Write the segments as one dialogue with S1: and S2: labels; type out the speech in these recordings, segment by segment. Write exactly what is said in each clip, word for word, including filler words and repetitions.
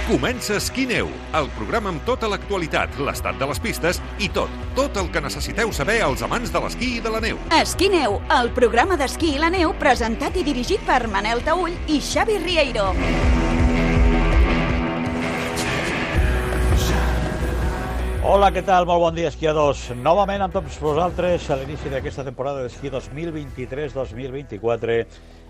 S1: Comença Esquí-Neu, el programa amb tota l'actualitat, l'estat de les pistes i tot, tot el que necessiteu saber als amants de l'esquí i de la neu.
S2: Esquí-Neu, el programa d'esquí i la neu presentat i dirigit per Manel Taüll i Xavi Rieiro.
S3: Hola, què tal? Molt bon dia, esquiadors. Novament amb tots vosaltres a l'inici d'aquesta temporada d'esquí dos mil vint-i-tres dos mil vint-i-quatre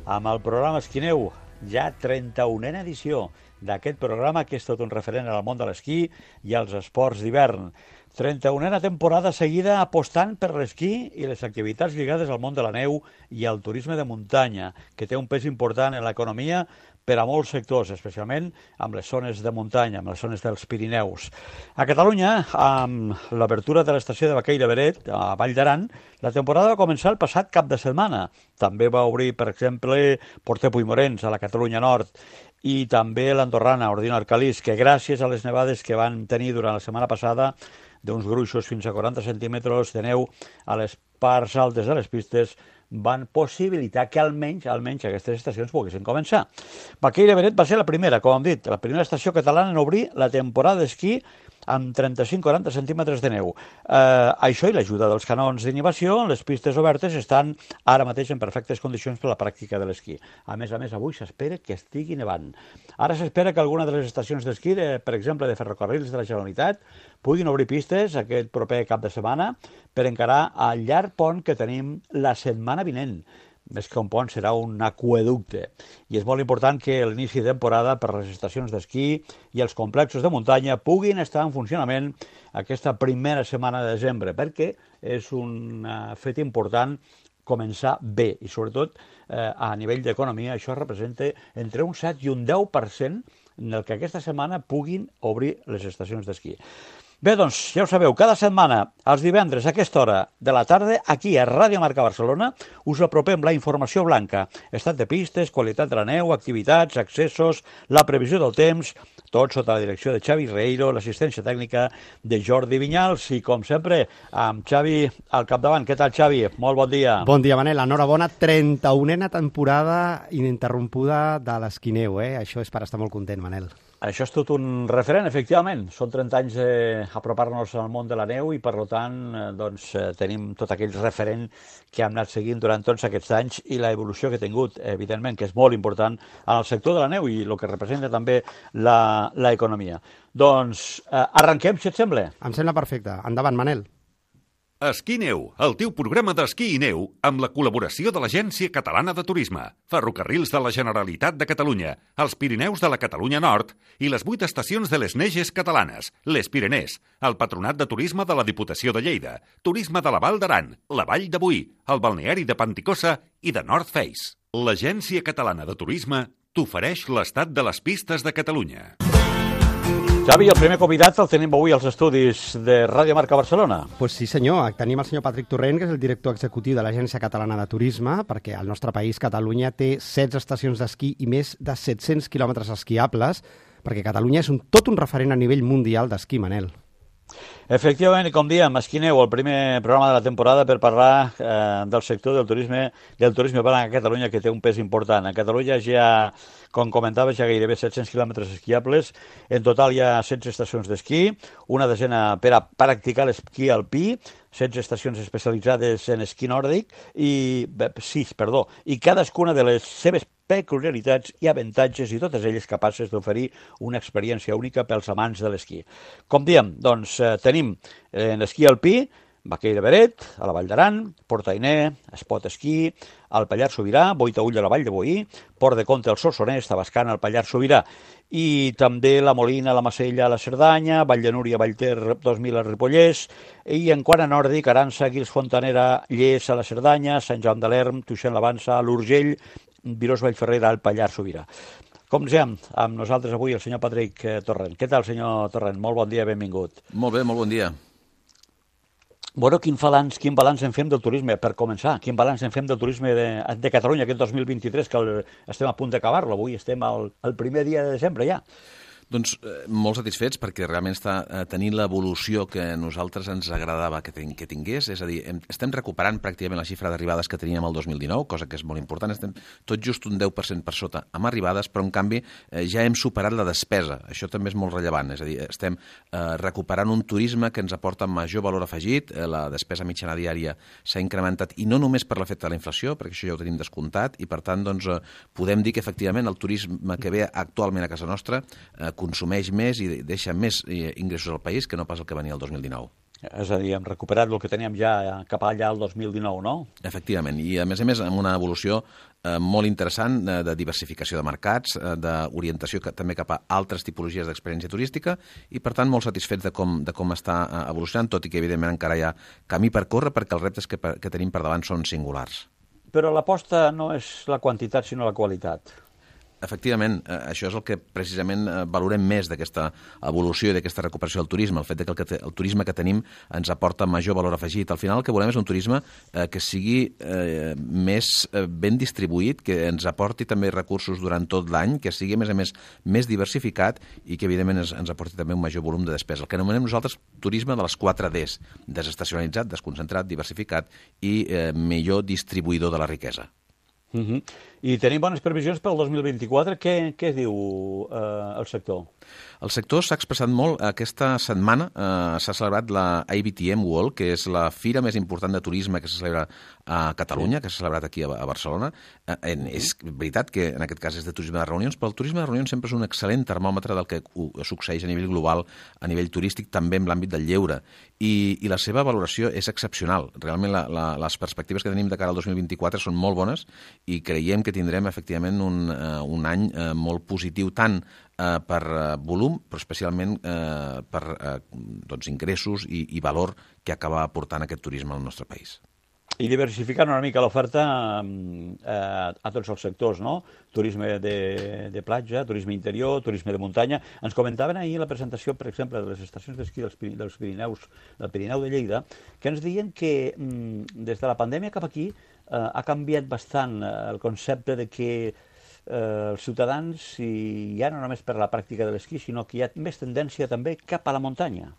S3: amb el programa Esquí-Neu, ja trenta-unena edició d'aquest programa que és tot un referent al món de l'esquí i als esports d'hivern. trenta-unena temporada seguida apostant per l'esquí i les activitats lligades al món de la neu i al turisme de muntanya, que té un pes important en l'economia per a molts sectors, especialment amb les zones de muntanya, amb les zones dels Pirineus. A Catalunya, amb l'obertura de l'estació de Baqueira Beret, a Vall d'Aran, la temporada va començar el passat cap de setmana. També va obrir, per exemple, Porter Puigmorens, a la Catalunya Nord, i també l'Andorrana, Ordino Arcalís, que gràcies a les nevades que van tenir durant la setmana passada, d'uns gruixos fins a quaranta centímetres de neu a les parts altes de les pistes, van possibilitar que almenys almenys aquestes estacions poguessin començar. Baqueira Beret va ser la primera, com hem dit, la primera estació catalana en obrir la temporada d'esquí amb trenta-cinc a quaranta centímetres de neu. Eh, això i l'ajuda dels canons d'inhibició, les pistes obertes estan ara mateix en perfectes condicions per a la pràctica de l'esquí. A més a més, avui s'espera que estigui nevant. Ara s'espera que alguna de les estacions d'esquí, de, per exemple, de ferrocarrils de la Generalitat, puguin obrir pistes aquest proper cap de setmana per encarar el llarg pont que tenim la setmana vinent. Més que un pont, serà un aqüeducte. I és molt important que l'inici de temporada per les estacions d'esquí i els complexos de muntanya puguin estar en funcionament aquesta primera setmana de desembre, perquè és un fet important començar bé i, sobretot, eh, a nivell d'economia, això representa entre un set i un deu per cent en el que aquesta setmana puguin obrir les estacions d'esquí. Bé, doncs, ja ho sabeu, cada setmana, els divendres a aquesta hora de la tarda, aquí a Ràdio Marca Barcelona, us apropem la informació blanca, estat de pistes, qualitat de la neu, activitats, accessos, la previsió del temps, tot sota la direcció de Xavi Rieiro, l'assistència tècnica de Jordi Vinyals i, com sempre, amb Xavi al capdavant. Què tal, Xavi? Molt bon dia.
S4: Bon dia, Manel. Enhorabona, trenta-unena temporada ininterrompuda de l'Esquí-Neu, eh? Això és per estar molt content, Manel.
S3: Això és tot un referent, efectivament. Són trenta anys d'apropar-nos al món de la neu i, per tant, doncs, tenim tot aquell referent que hem anat seguint durant tots aquests anys i la evolució que ha tingut, evidentment, que és molt important en el sector de la neu i el que representa també l'economia. Doncs eh, arrenquem, si et sembla.
S4: Em sembla perfecte. Endavant, Manel.
S1: Esquí-Neu, el teu programa d'esquí i neu amb la col·laboració de l'Agència Catalana de Turisme, Ferrocarrils de la Generalitat de Catalunya, els Pirineus de la Catalunya Nord i les vuit estacions de les Neges catalanes, les Pirenès, el Patronat de Turisme de la Diputació de Lleida, Turisme de la Val d'Aran, la Vall de Boí, el balneari de Panticosa i de North Face. L'Agència Catalana de Turisme t'ofereix l'estat de les pistes de Catalunya.
S3: Xavi, el primer convidat el tenim avui als estudis de Ràdio Marca Barcelona.
S4: Pues sí, senyor. Tenim el senyor Patrick Torrent, que és el director executiu de l'Agència Catalana de Turisme, perquè el nostre país, Catalunya, té setze estacions d'esquí i més de set-cents quilòmetres esquiables, perquè Catalunya és un, tot un referent a nivell mundial d'esquí, Manel.
S3: Efectivament, i com diem, Esquí-Neu, el primer programa de la temporada per parlar eh, del sector del turisme del turisme a Catalunya, que té un pes important. A Catalunya ja, com comentaves, hi ha gairebé set-cents quilòmetres esquiables. En total hi ha setze estacions d'esquí, una desena per a practicar l'esquí alpí, setze estacions especialitzades en esquí nòrdic, i sis, perdó, i cadascuna de les seves peculiaritats i avantatges i totes elles capaces d'oferir una experiència única pels amants de l'esquí. Com diem, doncs eh, tenim en l'esquí alpí Baqueira Beret, a la Vall d'Aran, Port Ainé, Espot Esquí, al Pallars Sobirà, Boitaüll a la Vall de Boí, Port de Comte al Solsonès, Tabascan al Pallars Sobirà, i també la Molina, la Macella, la Cerdanya, Vall de Núria, Vallter dos mil al Ripollès, i en quant a nòrdic, Arança, Guils Fontanera, Lles a la Cerdanya, Sant Joan de l'Erm, Tuixén la Vansa, l'Urgell, Virós Vallferrera al Pallars Sobirà. Com diem, amb nosaltres avui el senyor Patrick Torrent. Què tal, senyor Torrent? Molt bon dia, benvingut.
S5: Molt bé, molt bon dia.
S3: Bueno, quin balanç, quin balanç en fem del turisme, per començar? Quin balanç en fem del turisme de, de Catalunya aquest dos mil vint-i-tres, que el, estem a punt d'acabar-lo, avui estem al, al primer dia de desembre ja.
S5: Doncs eh, molt satisfets perquè realment està eh, tenint l'evolució que a nosaltres ens agradava que, ten que tingués, és a dir, hem, estem recuperant pràcticament la xifra d'arribades que teníem el dos mil dinou, cosa que és molt important, estem tot just un deu per cent per sota amb arribades, però en canvi eh, ja hem superat la despesa, això també és molt rellevant, és a dir, estem eh, recuperant un turisme que ens aporta major valor afegit, eh, la despesa mitjana diària s'ha incrementat, i no només per l'efecte de la inflació, perquè això ja ho tenim descomptat, i per tant doncs, eh, podem dir que efectivament el turisme que ve actualment a casa nostra eh, consumeix més i deixa més ingressos al país que no pas el que venia el dos mil dinou.
S3: És a dir, hem recuperat el que teníem ja cap allà el dos mil dinou, no?
S5: Efectivament, i a més a més amb una evolució eh, molt interessant eh, de diversificació de mercats, eh, d'orientació també cap a altres tipologies d'experiència turística i, per tant, molt satisfets de com, de com està eh, evolucionant, tot i que, evidentment, encara hi ha camí per córrer perquè els reptes que, que tenim per davant són singulars.
S3: Però l'aposta no és la quantitat, sinó la qualitat.
S5: Efectivament, eh, això és el que precisament eh, valorem més d'aquesta evolució i d'aquesta recuperació del turisme, el fet de que el, que el turisme que tenim ens aporta major valor afegit. Al final el que volem és un turisme eh, que sigui eh, més eh, ben distribuït, que ens aporti també recursos durant tot l'any, que sigui, a més a més, més diversificat i que, evidentment, ens, ens aporti també un major volum de despesa. El que anomenem nosaltres turisme de les quatre Ds, desestacionalitzat, desconcentrat, diversificat i eh, millor distribuïdor de la riquesa.
S3: Uh-huh. I tenim bones previsions pel dos mil vint-i-quatre. Què, què diu eh, el sector?
S5: El sector s'ha expressat molt. Aquesta setmana eh, s'ha celebrat la A B T M World, que és la fira més important de turisme que se celebra a Catalunya, sí. que s'ha celebrat aquí a, a Barcelona. Eh, en, és veritat que en aquest cas és de turisme de reunions, però el turisme de reunions sempre és un excel·lent termòmetre del que succeeix a nivell global, a nivell turístic, també en l'àmbit del lleure. I, i la seva valoració és excepcional. Realment la, la, les perspectives que tenim de cara al dos mil vint-i-quatre són molt bones i creiem que tindrem efectivament un, uh, un any uh, molt positiu tant uh, per uh, volum, però especialment uh, per uh, doncs, ingressos i, i valor que acaba aportant aquest turisme al nostre país.
S3: I diversificant una mica l'oferta eh, a tots els sectors, no? Turisme de, de platja, turisme interior, turisme de muntanya. Ens comentaven ahir la presentació, per exemple, de les estacions d'esquí dels, dels Pirineus, del Pirineu de Lleida, que ens deien que mm, des de la pandèmia cap aquí eh, ha canviat bastant el concepte de que eh, els ciutadans, i ja no només per la pràctica de l'esquí, sinó que hi ha més tendència també cap a la muntanya.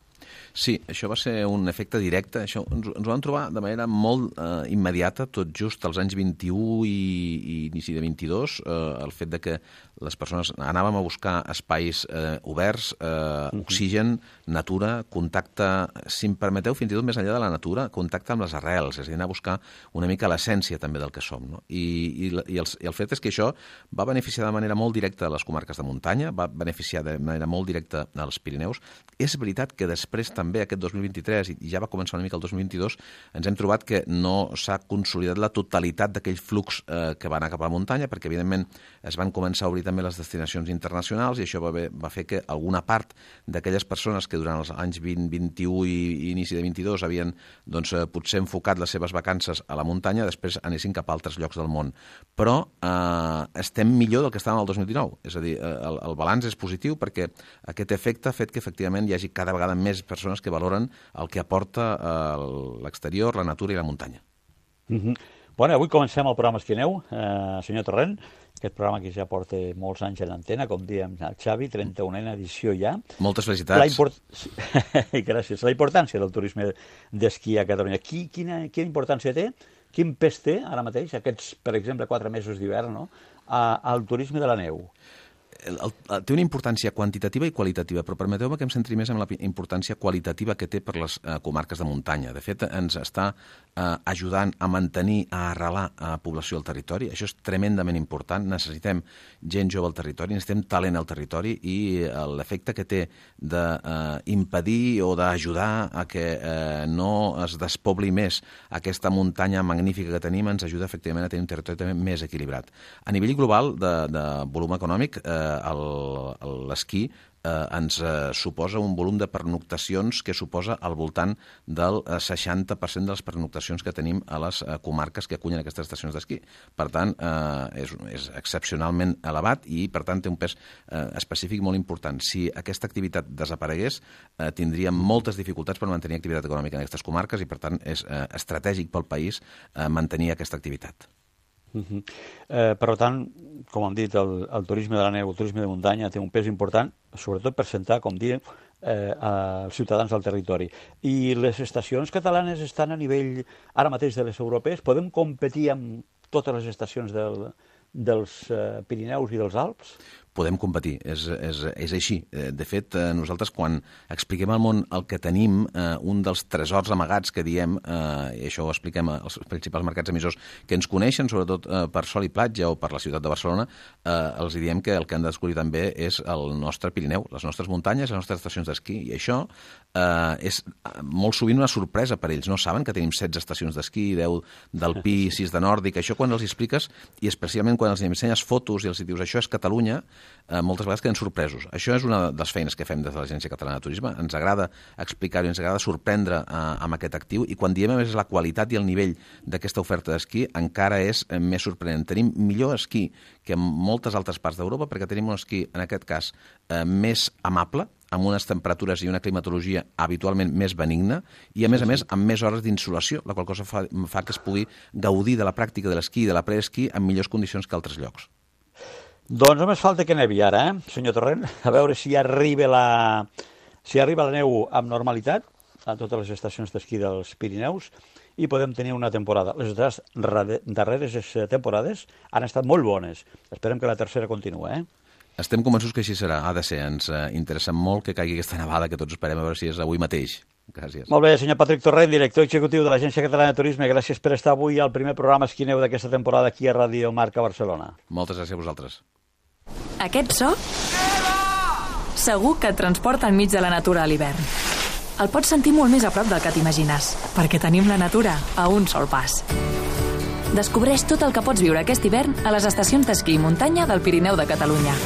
S5: Sí, això va ser un efecte directe. Això ens, ens ho vam trobar de manera molt eh, immediata, tot just als anys vint-i-u i, i inici de vint-i-dos, eh, el fet de que les persones anàvem a buscar espais eh, oberts, eh, oxigen, natura, contacte, si em permeteu, fins i tot més enllà de la natura, contacte amb les arrels, és a dir, anar a buscar una mica l'essència també del que som. No? I, i, i, el, I el fet és que això va beneficiar de manera molt directa a les comarques de muntanya, va beneficiar de manera molt directa als Pirineus. És veritat que després també aquest dos mil vint-i-tres, i ja va començar una mica el dos mil vint-i-dos, ens hem trobat que no s'ha consolidat la totalitat d'aquell flux eh, que va anar cap a la muntanya, perquè evidentment es van començar a obrir també les destinacions internacionals i això va, bé, va fer que alguna part d'aquelles persones que durant els anys vint, vint-i-u i, i inici de vint-i-dos havien doncs, eh, potser enfocat les seves vacances a la muntanya, després anessin cap a altres llocs del món. Però eh, estem millor del que estàvem el dos mil dinou, és a dir, eh, el, el balanç és positiu perquè aquest efecte ha fet que efectivament hi hagi cada vegada més persones que valoren el que aporta eh, l'exterior, la natura i la muntanya.
S3: Mm-hmm. Bueno, avui comencem el programa Esquineu, eh, senyor Torrent, aquest programa que ja porta molts anys en l'antena, com diem el Xavi, trenta-unena edició ja.
S5: Moltes felicitats.
S3: La import... Gràcies. La importància del turisme d'esquí a Catalunya. Qui, quina, quina importància té, quin pes té ara mateix, aquests, per exemple, quatre mesos d'hivern, no?, al turisme de la neu?
S5: El, el, té una importància quantitativa i qualitativa, però permeteu-me que em centri més en la importància qualitativa que té per les eh, comarques de muntanya. De fet, ens està eh, ajudant a mantenir, a arrelar a població al territori. Això és tremendament important. Necessitem gent jove al territori, necessitem talent al territori i eh, l'efecte que té d'impedir eh, o d'ajudar a que eh, no es despobli més aquesta muntanya magnífica que tenim ens ajuda efectivament a tenir un territori també més equilibrat. A nivell global de, de volum econòmic, eh, l'esquí eh, ens eh, suposa un volum de pernoctacions que suposa al voltant del eh, seixanta per cent de les pernoctacions que tenim a les eh, comarques que acullen aquestes estacions d'esquí. Per tant, eh, és, és excepcionalment elevat i, per tant, té un pes eh, específic molt important. Si aquesta activitat desaparegués, eh, tindríem moltes dificultats per mantenir activitat econòmica en aquestes comarques i, per tant, és eh, estratègic pel país eh, mantenir aquesta activitat.
S3: Uh-huh. eh, per tant, com hem dit, el, el turisme de la neu, el turisme de muntanya té un pes important, sobretot per sentar, com diem, eh, als ciutadans del territori. I les estacions catalanes estan a nivell, ara mateix, de les europees? Podem competir amb totes les estacions del, dels eh, Pirineus i dels Alps?
S5: Podem competir, és, és, és així. De fet, nosaltres quan expliquem al món el que tenim, eh, un dels tresors amagats que diem, eh, i això ho expliquem als principals mercats emissors que ens coneixen, sobretot eh, per sol i platja o per la ciutat de Barcelona, eh, els diem que el que han de descobrir també és el nostre Pirineu, les nostres muntanyes, les nostres estacions d'esquí, i això eh, és molt sovint una sorpresa per ells. No saben que tenim setze estacions d'esquí, deu d'alpí, sis de nòrdic. Això quan els expliques, i especialment quan els ensenyes fotos i els dius això és Catalunya, Eh, moltes vegades queden sorpresos. Això és una de les feines que fem des de l'Agència Catalana de Turisme. Ens agrada explicar-ho, ens agrada sorprendre eh, amb aquest actiu, i quan diem a més la qualitat i el nivell d'aquesta oferta d'esquí encara és eh, més sorprenent. Tenim millor esquí que en moltes altres parts d'Europa perquè tenim un esquí, en aquest cas, eh, més amable, amb unes temperatures i una climatologia habitualment més benigna i, a més a més, amb més hores d'insolació, la qual cosa fa, fa que es pugui gaudir de la pràctica de l'esquí i de la preesquí en millors condicions que altres llocs.
S3: Doncs només falta que nevi ara, eh, senyor Torrent? A veure si arriba la, si arriba la neu amb normalitat a totes les estacions d'esquí dels Pirineus i podem tenir una temporada. Les darreres temporades han estat molt bones. Esperem que la tercera continua, eh?
S5: Estem convençuts que així serà. Ha de ser. Ens interessa molt que caigui aquesta nevada, que tots esperem a veure si és avui mateix. Gràcies.
S3: Molt bé, senyor Patrick Torrent, director executiu de l'Agència Catalana de Turisme. Gràcies per estar avui al primer programa Esquí Neu d'aquesta temporada aquí a Ràdio Marca Barcelona.
S5: Moltes gràcies a vosaltres.
S6: Aquest so segur que et transporta enmig de la natura a l'hivern. El pots sentir molt més a prop del que t'imagines, perquè tenim la natura a un sol pas. Descobreix tot el que pots viure aquest hivern a les estacions d'esquí i muntanya del Pirineu de Catalunya.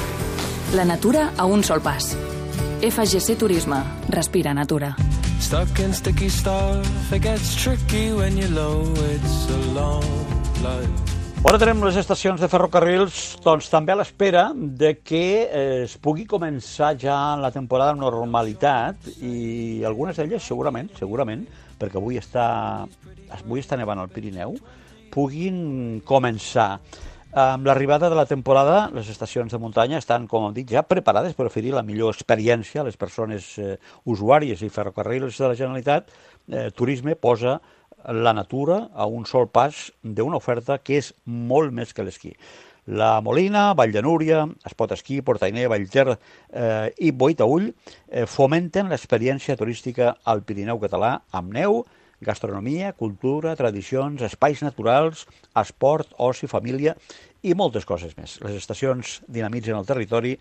S6: La natura a un sol pas. F G C Turisme. Respira natura.
S7: Stuck in sticky stuff, it gets tricky when you're low, it's a long life.
S3: Ara tenim les estacions de ferrocarrils doncs, també a l'espera de que eh, es pugui començar ja la temporada amb normalitat i algunes d'elles segurament, segurament, perquè avui està, avui està nevant al Pirineu, puguin començar. Amb l'arribada de la temporada, les estacions de muntanya estan, com hem dit, ja preparades per oferir la millor experiència a les persones eh, usuàries i ferrocarrils de la Generalitat. Eh, Turisme posa la natura a un sol pas d'una oferta que és molt més que l'esquí. La Molina, Vall de Núria, Espot Esquí, Portainer, Vallter eh, i Boitaüll eh, fomenten l'experiència turística al Pirineu català amb neu, gastronomia, cultura, tradicions, espais naturals, esport, oci, família i moltes coses més. Les estacions dinamitzen el territori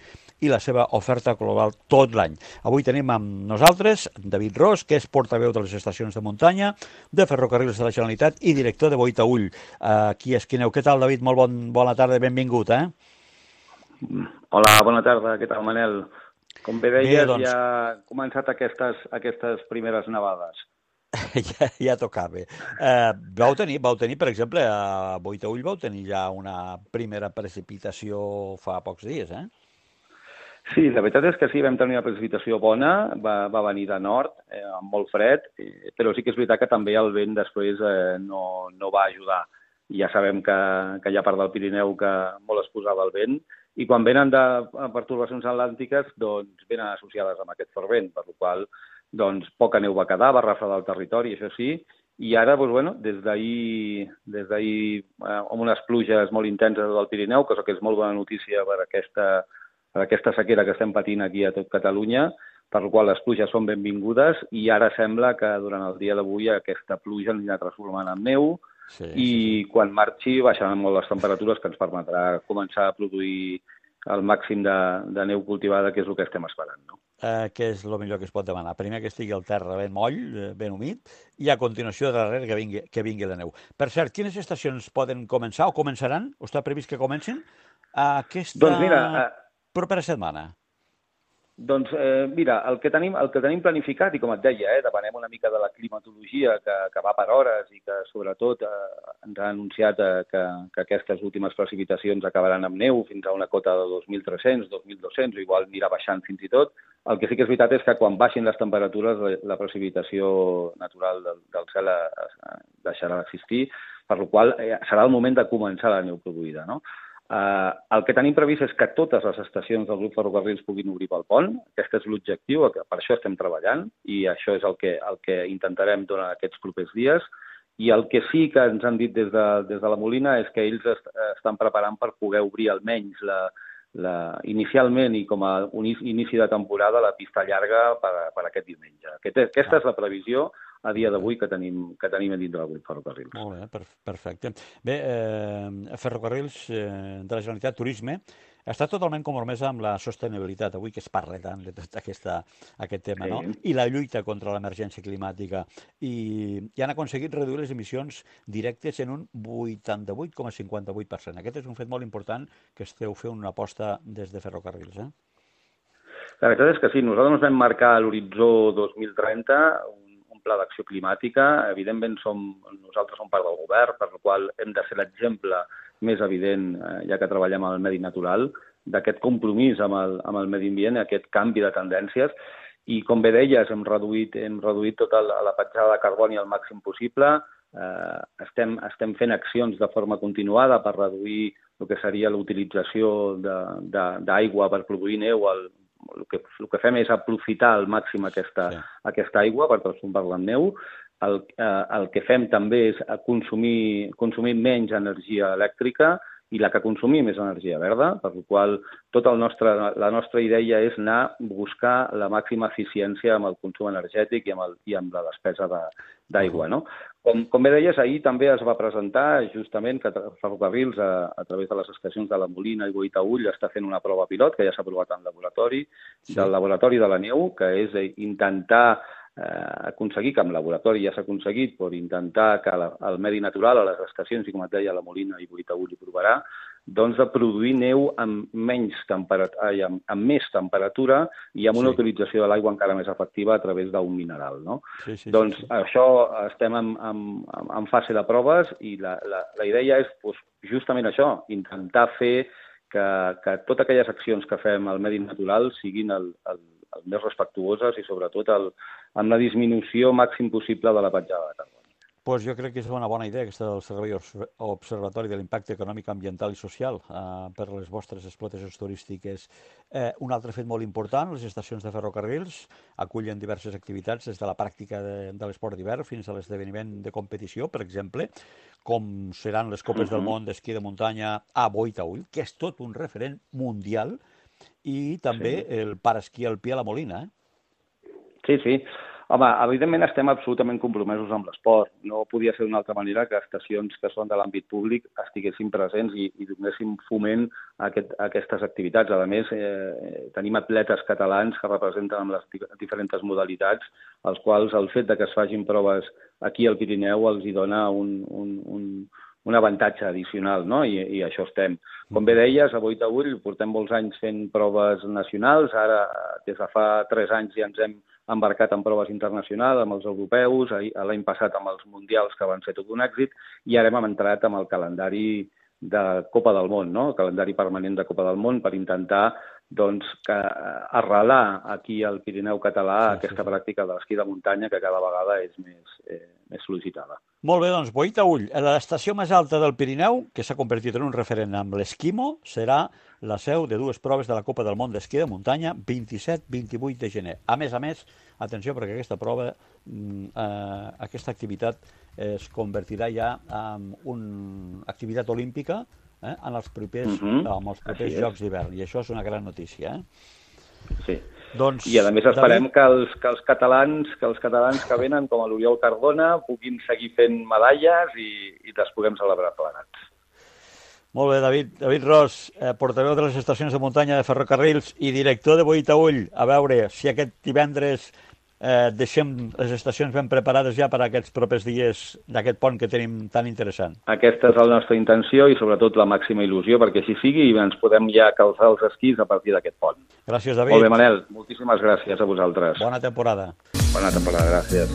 S3: i la seva oferta global tot l'any. Avui tenim amb nosaltres David Ros, que és portaveu de les estacions de muntanya, de Ferrocarrils de la Generalitat i director de Boitaüll, aquí a Esquí Neu. Què tal, David? Molt bon, bona tarda, benvingut, eh?
S8: Hola, bona tarda. Què tal, Manel? Com bé deies,
S3: bé, doncs...
S8: ja han començat aquestes, aquestes primeres nevades.
S3: ja, ja tocava. Eh, vau, tenir, vau tenir, per exemple, a Boitaüll vau tenir ja una primera precipitació fa pocs dies, eh?
S8: Sí, la veritat és que sí, vam tenir una precipitació bona, va, va venir de nord, eh, amb molt fred, eh, però sí que és veritat que també el vent després eh, no, no va ajudar. Ja sabem que, que hi ha part del Pirineu que molt es posava el vent, i quan venen de pertorbacions atlàntiques, doncs venen associades amb aquest fort vent, per la qual doncs poca neu va quedar, va refredar el territori, això sí, i ara, doncs, bueno, des d'ahir, des d'ahir eh, amb unes pluges molt intenses del Pirineu, cosa que és molt bona notícia per aquesta, per aquesta sequera que estem patint aquí a tot Catalunya, per la qual les pluges són benvingudes, i ara sembla que durant el dia d'avui aquesta pluja ens anirà transformant en neu, sí, i sí, sí. Quan marxi baixaran molt les temperatures, que ens permetrà començar a produir el màxim de, de neu cultivada, que és el que estem esperant, no?
S3: Eh, que és el millor que es pot demanar. Primer que estigui el terra ben moll, ben humit, i a continuació darrere que vingui, que vingui la neu. Per cert, quines estacions poden començar o començaran, o està previst que comencin, aquesta doncs mira, eh, propera setmana?
S8: Doncs eh, mira, el que, tenim, el que tenim planificat, i com et deia, eh, depenem una mica de la climatologia que, que va per hores i que sobretot eh, ens ha anunciat eh, que, que aquestes últimes precipitacions acabaran amb neu fins a una cota de dos mil tres-cents, dos mil dos-cents, o igual anirà baixant fins i tot. El que sí que és veritat és que quan baixin les temperatures la, la precipitació natural del, del cel eh, deixarà d'existir. per la qual eh, serà el moment de començar la neu produïda, no? Uh, el que tenim previst és que totes les estacions del grup Ferrocarrils puguin obrir pel pont. Aquest és l'objectiu, per això estem treballant i això és el que, el que intentarem durant aquests propers dies. I el que sí que ens han dit des de, des de la Molina és que ells est, estan preparant per poder obrir almenys la, la, inicialment i com a un inici de temporada la pista llarga per, per aquest diumenge. Aquest, aquesta és la previsió a dia d'avui que tenim, que tenim a dintre del grup Ferrocarrils.
S3: Molt bé, per, perfecte. Bé, eh, Ferrocarrils eh, de la Generalitat Turisme està totalment compromesa amb la sostenibilitat, avui que es parla tant de tot aquesta, aquest tema, sí. No? I la lluita contra l'emergència climàtica. I, I han aconseguit reduir les emissions directes en un vuitanta-vuit coma cinquanta-vuit per cent. Aquest és un fet molt important que esteu fent una aposta des de Ferrocarrils, eh?
S8: La veritat és que sí, nosaltres ens vam marcar l'horitzó dos mil trenta, un pla d'acció climàtica. Evidentment, som, nosaltres som part del govern, per la qual hem de ser l'exemple més evident, eh, ja que treballem al medi natural, d'aquest compromís amb el, amb el medi ambient, aquest canvi de tendències. I, com bé deies, hem reduït, hem reduït tota la, la petjada de carboni al màxim possible. Eh, estem, estem fent accions de forma continuada per reduir el que seria l'utilització d'aigua per produir neu. El, el, que, el que fem és aprofitar al màxim aquesta, sí. aquesta aigua per transformar-la en neu. El, eh, el que fem també és consumir, consumir menys energia elèctrica i la que consumim és energia verda, per la qual tota el nostre, la nostra idea és anar a buscar la màxima eficiència amb el consum energètic i amb, el, i amb la despesa d'aigua. No? Com, com bé deies, ahir també es va presentar justament que Ferrocarrils, a, a través de les estacions de la Molina i Boitaüll, està fent una prova pilot que ja s'ha aprovat en laboratori, sí. del laboratori de la neu, que és intentar Eh, aconseguir, que amb laboratori ja s'ha aconseguit, per intentar que la, el medi natural a les estacions, i com et deia, la Molina i Boitaüll hi provarà, doncs de produir neu amb, menys temperatura, amb, amb més temperatura i amb una sí. utilització de l'aigua encara més efectiva a través d'un mineral. No? Sí, sí, doncs sí, sí. Això estem en, en, en fase de proves i la, la, la idea és doncs, justament això, intentar fer que, que totes aquelles accions que fem al medi natural siguin el, el els més respectuoses i, sobretot, el, amb la disminució màxim possible de la petjada de carboni.
S3: Pues jo crec que és una bona idea aquesta del Servei Observatori de l'Impacte Econòmic, Ambiental i Social eh, per les vostres explotacions turístiques. Eh, un altre fet molt important, les estacions de ferrocarrils acullen diverses activitats, des de la pràctica de, de l'esport d'hivern fins a l'esdeveniment de competició, per exemple, com seran les Copes uh-huh. del Món d'esquí de muntanya a Boitaüll, que és tot un referent mundial, i també sí. el paraesquí alpí a la Molina, eh?
S8: Sí, sí. Home, evidentment estem absolutament compromesos amb l'esport. No podia ser d'una altra manera que estacions que són de l'àmbit públic estiguessin presents i, i donéssim foment a, aquest, a aquestes activitats. A més, eh, tenim atletes catalans que representen amb les diferents modalitats, als quals el fet de que es facin proves aquí al Pirineu els hi dona un... un, un un avantatge addicional, no? I, i això estem. Com bé deies, a Boitaüll portem molts anys fent proves nacionals, ara des de fa tres anys ja ens hem embarcat en proves internacionals, amb els europeus, l'any passat amb els mundials que van ser tot un èxit, i ara hem entrat amb el calendari de Copa del Món, no? El calendari permanent de Copa del Món per intentar doncs, que arrelar aquí al Pirineu català sí, aquesta sí. pràctica de l'esquí de muntanya que cada vegada és més, eh, més sol·licitada.
S3: Molt bé, doncs, Boitaüll, l'estació més alta del Pirineu, que s'ha convertit en un referent amb l'esquimo, serà la seu de dues proves de la Copa del Món d'esquí de muntanya vint-i-set vint-i-vuit de gener. A més a més, atenció, perquè aquesta prova, eh, aquesta activitat es convertirà ja en una activitat olímpica eh, en els propers, uh-huh. amb els propers Jocs d'hivern, i això és una gran notícia. Eh?
S8: Sí.
S3: Doncs,
S8: I a més esperem David... que, els, que els catalans que els catalans que venen, com l'Oriol Cardona, puguin seguir fent medalles i, i les puguem celebrar plegats.
S3: Molt bé, David. David Ros, eh, portaveu de les estacions de muntanya de Ferrocarrils i director de Boitaüll. A veure si aquest divendres eh, deixem les estacions ben preparades ja per a aquests propers dies d'aquest pont que tenim tan interessant.
S8: Aquesta és la nostra intenció i sobretot la màxima il·lusió perquè així sigui i ens podem ja calçar els esquís a partir d'aquest pont.
S3: Gràcies, David.
S8: Molt bé, Manel. Moltíssimes gràcies a vosaltres.
S3: Bona temporada.
S8: Bona temporada, gràcies.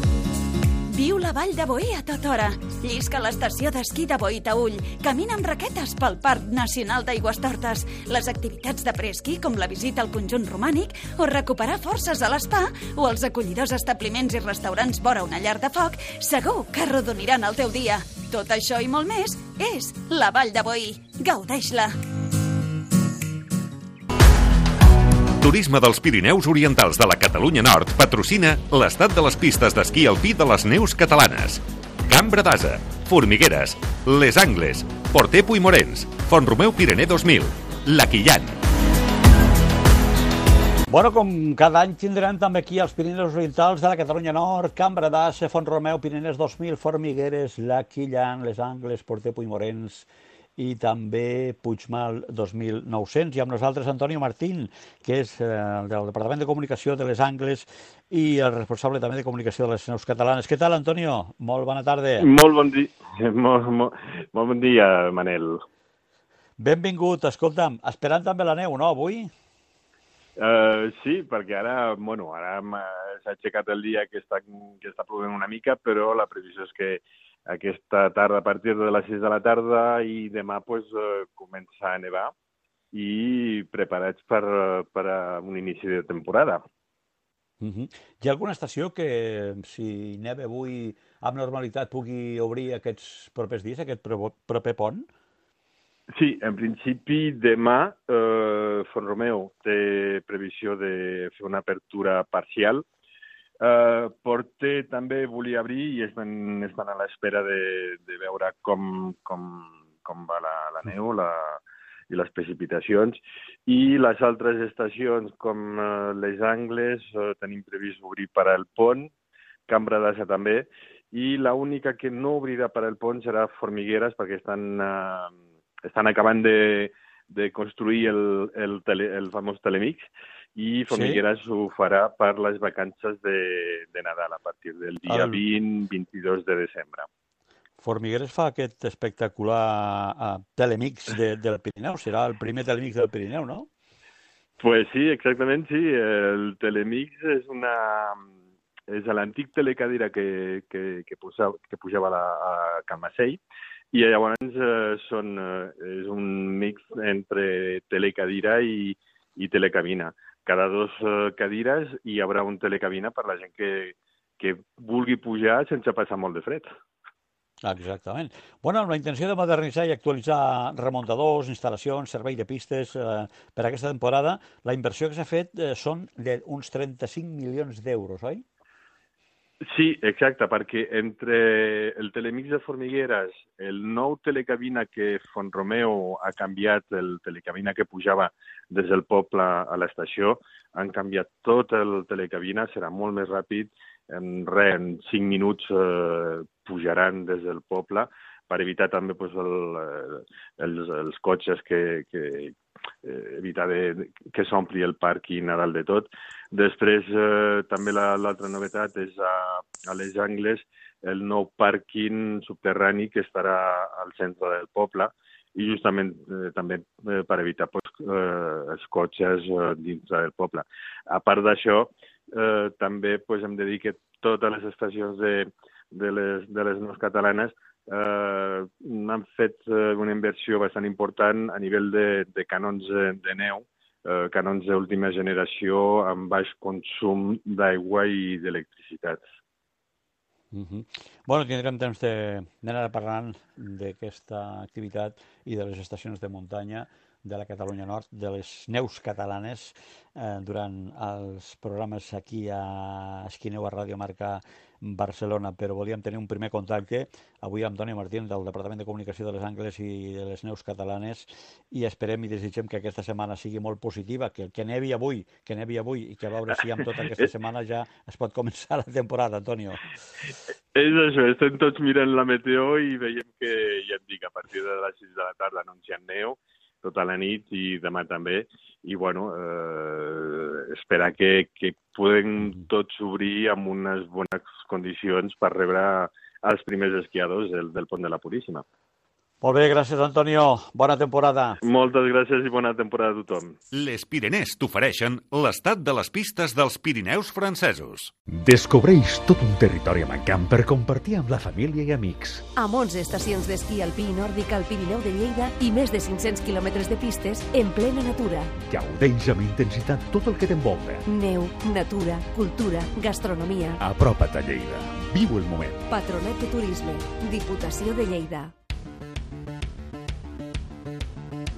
S2: Viu la Vall de Boí a tota hora. Llisca a l'estació d'esquí de Boitaüll. Camina amb raquetes pel Parc Nacional d'Aigüestortes. Les activitats de preesquí, com la visita al conjunt romànic, o recuperar forces a l'espa, o els acollidors establiments i restaurants vora una llar de foc, segur que arrodoniran el teu dia. Tot això i molt més és la Vall de Boí. Gaudeix-la!
S1: Turisme dels Pirineus Orientals de la Catalunya Nord patrocina l'estat de les pistes d'esquí alpí de les neus catalanes. Cambra d'Asa, Formigueres, Les Angles, Portepo i Morens, Font-romeu Pirener dos mil, La Quillan.
S3: Bueno, com cada any tindrem també aquí els Pirineus Orientals de la Catalunya Nord, Cambra d'Asa, Font-romeu Pireners dos mil, Formigueres, La Quillan, Les Angles, Portepo i Morens i també Puigmal dos mil nou-cents. I amb nosaltres Antonio Martín, que és eh, del Departament de Comunicació de Les Angles i el responsable també de comunicació de les neus catalanes. Què tal, Antonio? Molt bona tarda.
S9: Molt bon dia, molt, molt, molt bon dia, Manel.
S3: Benvingut. Escolta'm, esperant també la neu, no, avui?
S9: Uh, sí, perquè ara, bueno, ara s'ha aixecat el dia que està, que està plovent una mica, però la previsió és que aquesta tarda, a partir de les sis de la tarda i demà pues, uh, comença a nevar i preparats per, per a un inici de temporada.
S3: Uh-huh. Hi ha alguna estació que, si neva avui amb normalitat, pugui obrir aquests propers dies, aquest proper pont?
S9: Sí, en principi demà eh, Font-romeu té previsió de fer una apertura parcial. Uh, Porter també volia obrir i estan, estan a l'espera de, de veure com, com, com va la, la neu la, i les precipitacions. I les altres estacions, com uh, Les Angles, uh, tenim previst obrir per al pont, Cambra d'Asa també, i l'única que no obrirà per al pont serà Formigueres, perquè estan, uh, estan acabant de, de construir el, el, tele, el famós Telemix, i Formigueres sí? Ho farà per les vacances de, de Nadal, a partir del dia el... vint a vint-i-dos de desembre.
S3: Formigueres fa aquest espectacular uh, Telemix de, del Pirineu, serà el primer Telemix del Pirineu, no?
S9: Pues sí, exactament, sí. El Telemix és una... és l'antic telecadira que, que, que, posava, que pujava la, a Calmacell, i llavors eh, són, eh, és un mix entre telecadira i, i telecabina. Cada dos uh, cadires hi haurà un telecabina per la gent que, que vulgui pujar sense passar molt de fred.
S3: Exactament. Bueno, amb la intenció de modernitzar i actualitzar remuntadors, instal·lacions, servei de pistes eh, per a aquesta temporada, la inversió que s'ha fet eh, són d'uns trenta-cinc milions d'euros, oi?
S9: Sí, exacte, perquè entre el Telemix de Formigueres, el nou telecabina que Font-romeu ha canviat, el telecabina que pujava des del poble a l'estació, han canviat tot el telecabina, serà molt més ràpid, en res, en cinc minuts eh, pujaran des del poble, per evitar també pues, el, els, els cotxes que, que eh, evitar de, que s'ompli el pàrquing a dalt de tot. Després, eh, també l'altra la, novetat és a, a Les Angles el nou pàrquing subterrani que estarà al centre del poble i justament eh, també eh, per evitar pues, eh, els cotxes eh, dins del poble. A part d'això, eh, també pues, hem de dir que totes les estacions de, de, les, de les neus catalanes eh, han fet eh, una inversió bastant important a nivell de, de canons de, de neu, eh, canons d'última generació amb baix consum d'aigua i d'electricitat.
S3: Uh-huh. Bueno, tindrem temps d'anar parlant d'aquesta activitat i de les estacions de muntanya de la Catalunya Nord, de les neus catalanes, eh, durant els programes aquí a Esquineu, a Ràdio Marca Barcelona, però volíem tenir un primer contacte avui amb Antonio Martín del Departament de Comunicació de Les Angles i de les neus catalanes i esperem i desitgem que aquesta setmana sigui molt positiva, que, que nevi avui, que nevi avui i que a veure si amb tota aquesta setmana ja es pot començar la temporada, Antonio.
S9: És això, estem tots mirant la meteo i veiem que, ja et dic, a partir de les sis de la tarda anuncien neu, tota la nit i demà també, i bueno, eh, esperar que, que puguem tots obrir amb unes bones condicions per rebre els primers esquiadors del, del Pont de la Puríssima.
S3: Molt bé, gràcies, Antonio. Bona temporada.
S9: Moltes gràcies i bona temporada a tothom.
S1: Les Pireners t'ofereixen l'estat de les pistes dels Pirineus francesos.
S10: Descobreix tot un territori amb encant per compartir amb la família i amics.
S11: Amb onze estacions d'esquí alpí i nòrdic al Pirineu de Lleida i més de cinc-cents quilòmetres de pistes en plena natura.
S10: Gaudeix amb intensitat tot el que t'envolta.
S11: Neu, natura, cultura, gastronomia.
S10: Apropa't a Lleida. Viu el moment.
S11: Patronat de Turisme, Diputació de Lleida.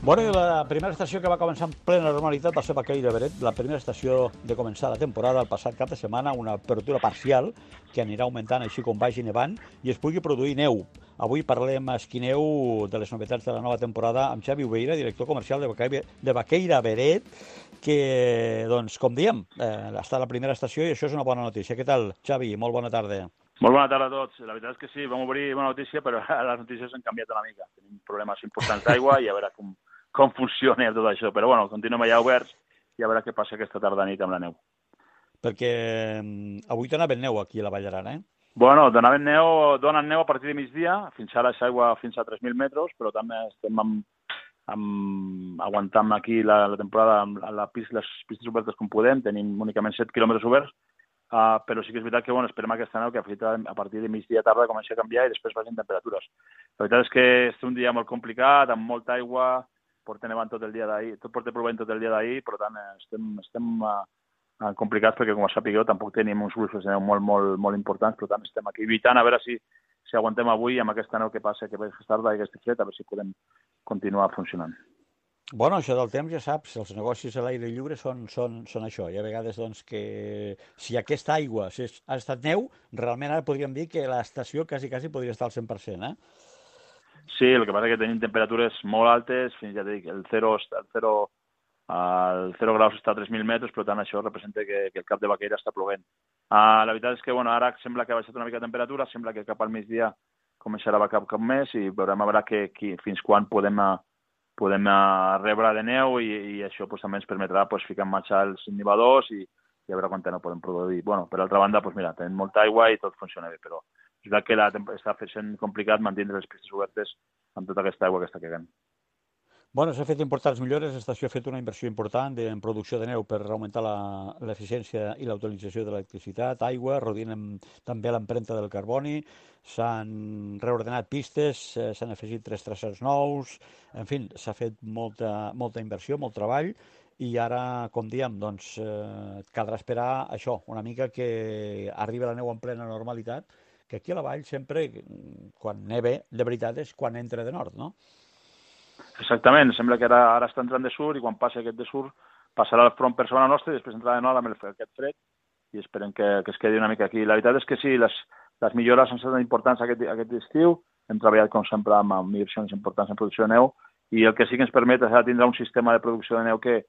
S3: Bueno, i la primera estació que va començar en plena normalitat va ser Baqueira Beret, la primera estació de començar la temporada el passat cap de setmana, una apertura parcial que anirà augmentant així com vagi nevant i es pugui produir neu. Avui parlem a Esquineu de les novetats de la nova temporada amb Xavi Ubeira, director comercial de Baqueira, de Baqueira Beret, que, doncs, com diem, eh, està a la primera estació i això és una bona notícia. Què tal, Xavi? Molt bona tarda.
S12: Molt bona tarda a tots. La veritat és que sí, vam obrir bona notícia, però les notícies han canviat una mica. Tenim problemes importants d'aigua i a veure com, com funciona tot això. Però bueno, continuem allà oberts i a veure què passa aquesta tarda nit amb la neu.
S3: Perquè avui donaven neu aquí a la Vall d'Aran, eh?
S12: Bueno, donaven neu, donen neu a partir de migdia, fins ara és aigua fins a tres mil metres, però també estem amb, amb, aguantant aquí la, la temporada amb la pista, les pistes obertes com podem, tenim únicament set quilòmetres oberts, uh, però sí que és veritat que bueno, esperem aquesta neu que a partir de migdia tarda comenci a canviar i després vagin temperatures. La veritat és que és un dia molt complicat, amb molta aigua, porta nevant tot el dia d'ahir, tot porta plovent tot el dia d'ahir, per tant estem, estem uh, complicats perquè, com sapigueu, tampoc tenim uns fluxos de neu molt, molt, molt importants, per tant estem aquí evitant a veure si, si aguantem avui amb aquesta neu que passa, que ve tarda i aquesta fred, a veure si podem continuar funcionant.
S3: Bueno, això del temps ja saps, els negocis a l'aire lliure són, són, són això. Hi ha vegades doncs, que si aquesta aigua si ha estat neu, realment ara podríem dir que l'estació quasi, quasi podria estar al cent per cent, eh?
S12: Sí, el que passa és que tenim temperatures molt altes, fins ja dic, el zero, el zero, el zero graus està a tres mil metres, per tant això representa que, que el cap de Baqueira està plovent. Uh, la veritat és que bueno, ara sembla que ha baixat una mica de temperatura, sembla que cap al migdia començarà a cap cap més i veurem a veure que, que, fins quan podem, podem rebre de neu i, i això pues, també ens permetrà pues, ficar en marxa els innivadors i, i a veure quanta no podem produir. Bueno, per altra banda, pues, mira, tenim molta aigua i tot funciona bé, però és veritat que la, està sent complicat mantenir les pistes obertes amb tota aquesta aigua que està cagant.
S3: Bueno, s'ha fet importants millores, l'estació ha fet una inversió important en producció de neu per augmentar l'eficiència i la utilització de l'electricitat, aigua, reduint també l'empremta del carboni, s'han reordenat pistes, s'han afegit tres traçats nous, en fi, s'ha fet molta, molta inversió, molt treball, i ara, com diem, doncs, eh, caldrà esperar això, una mica que arribi la neu en plena normalitat, que aquí a la vall sempre, quan neve, de veritat és quan entra de nord, no?
S12: Exactament, sembla que ara, ara està entrant de sud i quan passi aquest de sud passarà el front per sobre nostra i després entrarà de nord amb el, aquest fred i esperem que, que es quedi una mica aquí. La veritat és que sí, les, les millores han estat importants aquest, aquest estiu, hem treballat com sempre amb, amb inversions importants en producció de neu i el que sí que ens permet és tindre un sistema de producció de neu que,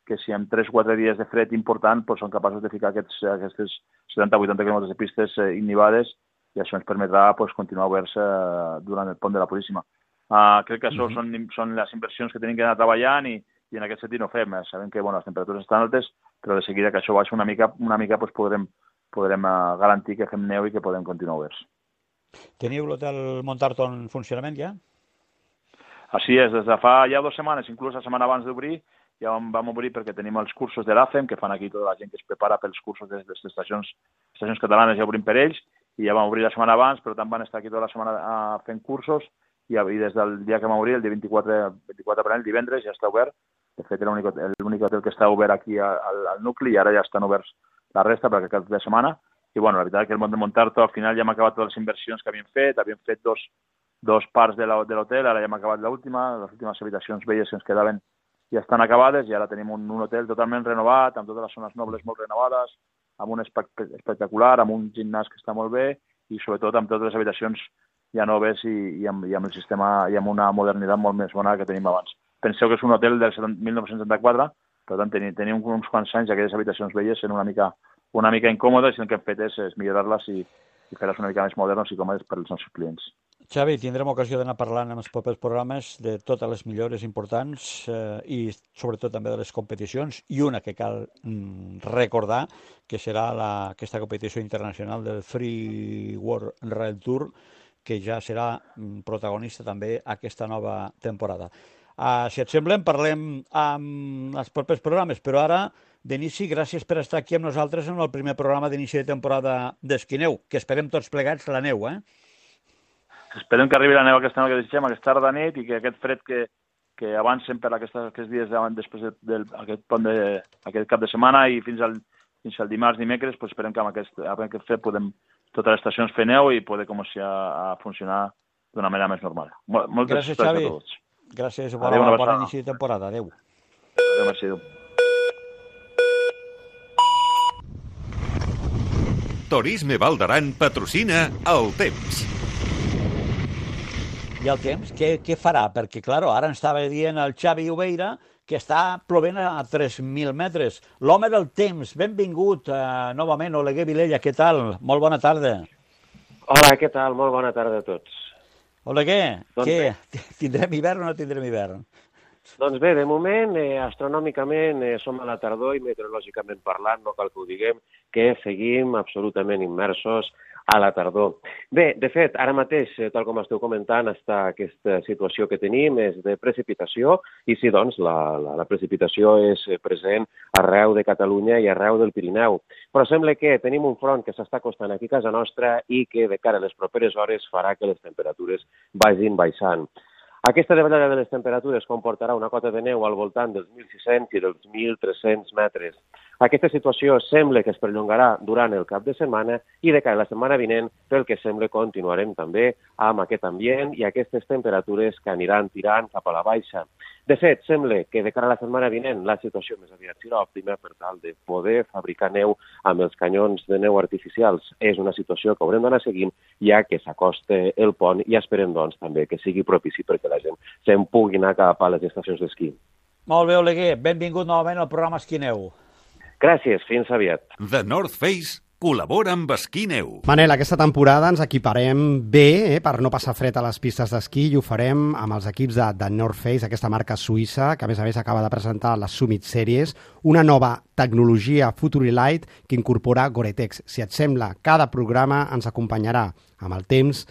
S12: que si en tres o quatre dies de fred important doncs són capaços de ficar aquests, aquestes setanta o vuitanta quilòmetres de pistes eh, innivades i això ens permetrà pues, continuar oberts eh, durant el pont de la Puríssima. Uh, crec que això uh-huh. són, són les inversions que tenim que anar treballant i, i en aquest sentit no fem. Eh? Sabem que bueno, les temperatures estan altes, però de seguida que això baixa una mica, una mica pues, podrem, podrem uh, garantir que fem neu i que podem continuar oberts.
S3: Teniu l'hotel Montarto en funcionament ja?
S12: Així és, des de fa ja dues setmanes, inclús la setmana abans d'obrir, ja vam, vam obrir perquè tenim els cursos de l'A C E M, que fan aquí tota la gent que es prepara pels cursos de les estacions, estacions catalanes, ja obrim per ells, i ja vam obrir la setmana abans, però també van estar aquí tota la setmana uh, fent cursos, i des del dia que vam obrir, el dia vint-i-quatre d'abril, el divendres, ja està obert. De fet, era l'únic hotel que està obert aquí al, al nucli i ara ja estan oberts la resta per aquest cap de setmana. I bueno, la veritat és que el Mont de Montarto al final ja hem acabat totes les inversions que havíem fet, havíem fet dos, dos parts de l'hotel, ara ja hem acabat l'última, les últimes habitacions velles que ens quedaven ja estan acabades i ara tenim un, un hotel totalment renovat, amb totes les zones nobles molt renovades, amb un espai espectacular, amb un gimnàs que està molt bé i sobretot amb totes les habitacions ja noves i, i, amb, i amb el sistema i amb una modernitat molt més bona que tenim abans. Penseu que és un hotel del mil nou-cents setanta-quatre, per tant tenim, tenim uns quants anys aquelles habitacions velles sent una mica, una mica incòmodes i el que hem fet és, és millorar-les i, i fer-les una mica més modernes i còmodes per als nostres clients.
S3: Xavi, tindrem ocasió d'anar parlant en els propers programes de totes les millores importants eh, i sobretot també de les competicions i una que cal mm, recordar que serà la, aquesta competició internacional del Free World Rail Tour que ja serà protagonista també aquesta nova temporada. Uh, si et sembla, parlem amb els propers programes, però ara, d'inici, gràcies per estar aquí amb nosaltres en el primer programa d'inici de temporada d'Esquineu, que esperem tots plegats la neu, eh?
S12: Esperem que arribi la neu aquesta neu que desitgem, aquesta tarda nit, i que aquest fred que, que avancen per aquests, aquests dies davant, després d'aquest pont de, aquest cap de setmana i fins al, fins al dimarts, dimecres, pues esperem que amb aquest, amb aquest fred podem totes les estacions fer neu i poder començar a funcionar d'una manera més normal. Moltes
S3: gràcies, Xavi.
S12: A tots.
S3: Gràcies, bona,
S12: Adéu,
S3: bona inici de temporada. Adéu.
S12: Adéu, merci, adéu.
S1: Turisme Val d'Aran patrocina el temps.
S3: I el temps, què, què farà? Perquè, clar, ara ens estava dient el Xavi Ubeira que està plovent a tres mil metres. L'home del temps, benvingut uh, novament, Oleguer Vilella, què tal? Molt bona tarda.
S13: Hola, què tal? Molt bona tarda a tots.
S3: Oleguer,
S13: doncs
S3: què? Bé. Tindrem hivern o no tindrem hivern?
S13: Doncs bé, de moment, eh, astronòmicament, eh, som a la tardor i meteorològicament parlant, no cal que ho diguem, que seguim absolutament immersos a la tardor. Bé, de fet, ara mateix, tal com esteu comentant, està aquesta situació que tenim és de precipitació i sí, doncs, la, la, la precipitació és present arreu de Catalunya i arreu del Pirineu. Però sembla que tenim un front que s'està acostant aquí a casa nostra i que de cara a les properes hores farà que les temperatures vagin baixant. Aquesta davallada de les temperatures comportarà una cota de neu al voltant dels mil sis-cents i dels mil tres-cents metres. Aquesta situació sembla que es perllongarà durant el cap de setmana i de cara a la setmana vinent, pel que sembla, continuarem també amb aquest ambient i aquestes temperatures que aniran tirant cap a la baixa. De fet, sembla que de cara a la setmana vinent la situació més aviat serà òptima per tal de poder fabricar neu amb els canyons de neu artificials. És una situació que haurem d'anar seguint ja que s'acosta el pont i esperem doncs també que sigui propici perquè la gent se'n pugui anar cap a les estacions d'esquí.
S3: Molt bé, Oleguer. Benvingut novament al programa Esquí Neu.
S13: Gràcies, fins aviat.
S1: The North Face col·labora amb Esquí Neu.
S4: Manel, aquesta temporada ens equiparem bé eh, per no passar fred a les pistes d'esquí i ho farem amb els equips de The North Face, aquesta marca suïssa, que a més a més acaba de presentar la Summit Series, una nova tecnologia Futurilight que incorpora Gore-Tex. Si et sembla, cada programa ens acompanyarà amb el temps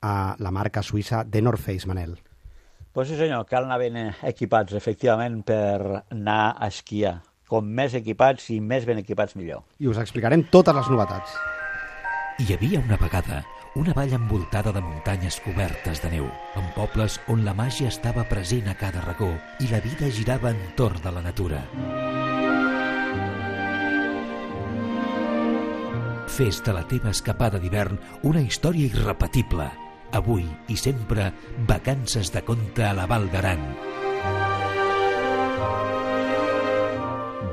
S4: a la marca suïssa The North Face, Manel.
S3: Pues sí, senyor, cal anar ben equipats, efectivament, per anar a esquiar. Com més equipats i més ben equipats, millor.
S4: I us explicarem totes les novetats.
S10: Hi havia una vegada una vall envoltada de muntanyes cobertes de neu, amb pobles on la màgia estava present a cada racó i la vida girava entorn de la natura. Fes de la teva escapada d'hivern una història irrepetible. Avui i sempre, vacances de conte a la Val d'Aran.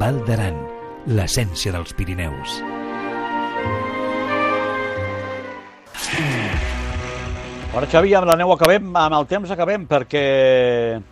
S10: Val d'Aran, l'essència dels Pirineus.
S3: Ara, Xavi, amb la neu acabem, amb el temps acabem, perquè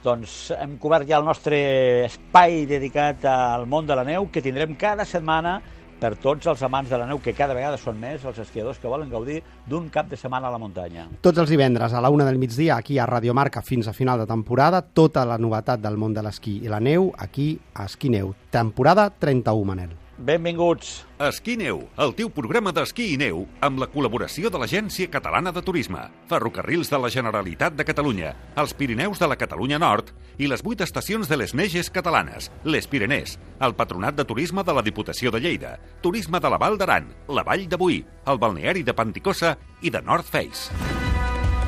S3: doncs, hem cobert ja el nostre espai dedicat al món de la neu, que tindrem cada setmana per tots els amants de la neu, que cada vegada són més els esquiadors que volen gaudir d'un cap de setmana a la muntanya.
S4: Tots els divendres a la una del migdia, aquí a Radio Marca, fins a final de temporada, tota la novetat del món de l'esquí i la neu, aquí a Esquí Neu. Temporada trenta-u, Manel.
S3: Benvinguts.
S1: Esquí Neu, el teu programa d'esquí i neu amb la col·laboració de l'Agència Catalana de Turisme, Ferrocarrils de la Generalitat de Catalunya, els Pirineus de la Catalunya Nord i les vuit estacions de les Neges catalanes, les Pirenès, el Patronat de Turisme de la Diputació de Lleida, Turisme de la Val d'Aran, la Vall de Boí, el Balneari de Panticosa i de North Face.